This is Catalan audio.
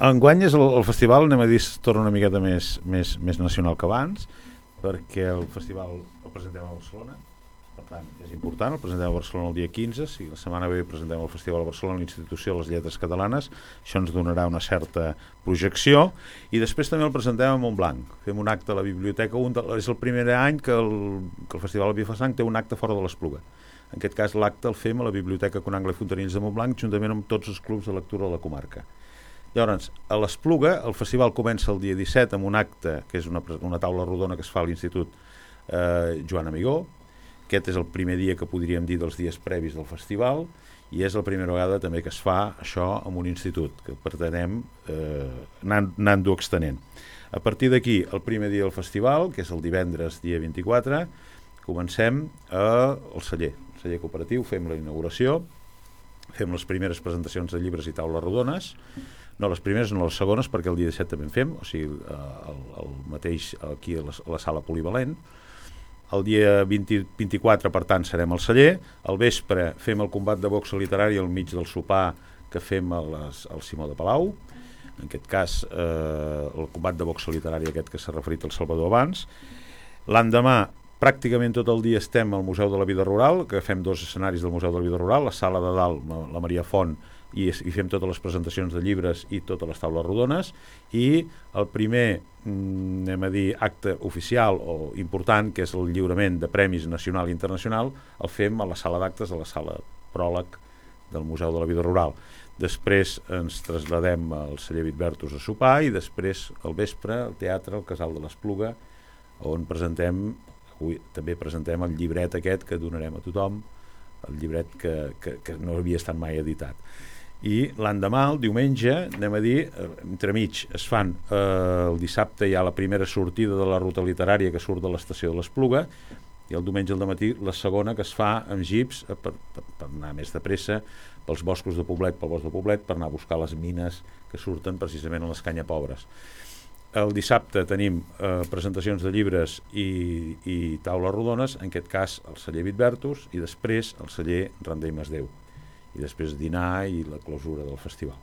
Enguany el festival, anem a dir, es torna una miqueta més nacional que abans, perquè el festival el presentem a Barcelona, per tant és important, el presentem a Barcelona el dia 15, si la setmana ve presentem el festival a Barcelona, l'Institució de les Lletres Catalanes, això ens donarà una certa projecció, i després també el presentem a Montblanc, fem un acte a la biblioteca, és el primer any que el Festival de Vilafranca té un acte fora de l'Espluga. En aquest cas l'acte el fem a la Biblioteca Conangle i Fontanills de Montblanc, juntament amb tots els clubs de lectura de la comarca. Llavors, a l'Espluga el festival comença el dia 17 amb un acte que és una taula rodona que es fa a l'Institut Joan Amigó. Aquest és el primer dia que podríem dir dels dies previs del festival, i és la primera vegada també que es fa això en un institut, que pretenem anant-ho extenent. A partir d'aquí, el primer dia del festival, que és el divendres dia 24, comencem al celler cooperatiu, fem la inauguració, fem les primeres presentacions de llibres i taules rodones, no les primeres, no les segones, perquè el dia 17 també en fem, o sigui, el mateix aquí a la sala polivalent. El dia 24, per tant, serem al celler. Al vespre fem el combat de boxa literari al mig del sopar que fem al Simó de Palau. En aquest cas, el combat de boxa literari aquest que s'ha referit al Salvador abans. L'endemà, pràcticament tot el dia estem al Museu de la Vida Rural, que fem 2 escenaris del Museu de la Vida Rural, la sala de dalt, la Maria Font, i fem totes les presentacions de llibres i totes les taules rodones, i el primer acte oficial o important, que és el lliurament de premis nacional i internacional, el fem a la sala d'actes, a la sala pròleg del Museu de la Vida Rural. Després ens traslladem al celler Vitbertus a sopar, i després al vespre al teatre, al Casal de l'Espluga, on també presentem el llibret aquest que donarem a tothom, el llibret que no havia estat mai editat. I l'endemà, el diumenge, anem a dir, entremig es fan, el dissabte hi ha la primera sortida de la ruta literària que surt de l'estació de l'Espluga, i el diumenge al dematí la segona, que es fa amb jeeps per anar més de pressa pels boscos de Poblet, pel bosc de Poblet, per anar a buscar les mines que surten precisament a les Canyapobres. El dissabte tenim presentacions de llibres i taules rodones, en aquest cas el celler Vitbertus, i després el celler Randell Masdeu, i després dinar i la clausura del festival.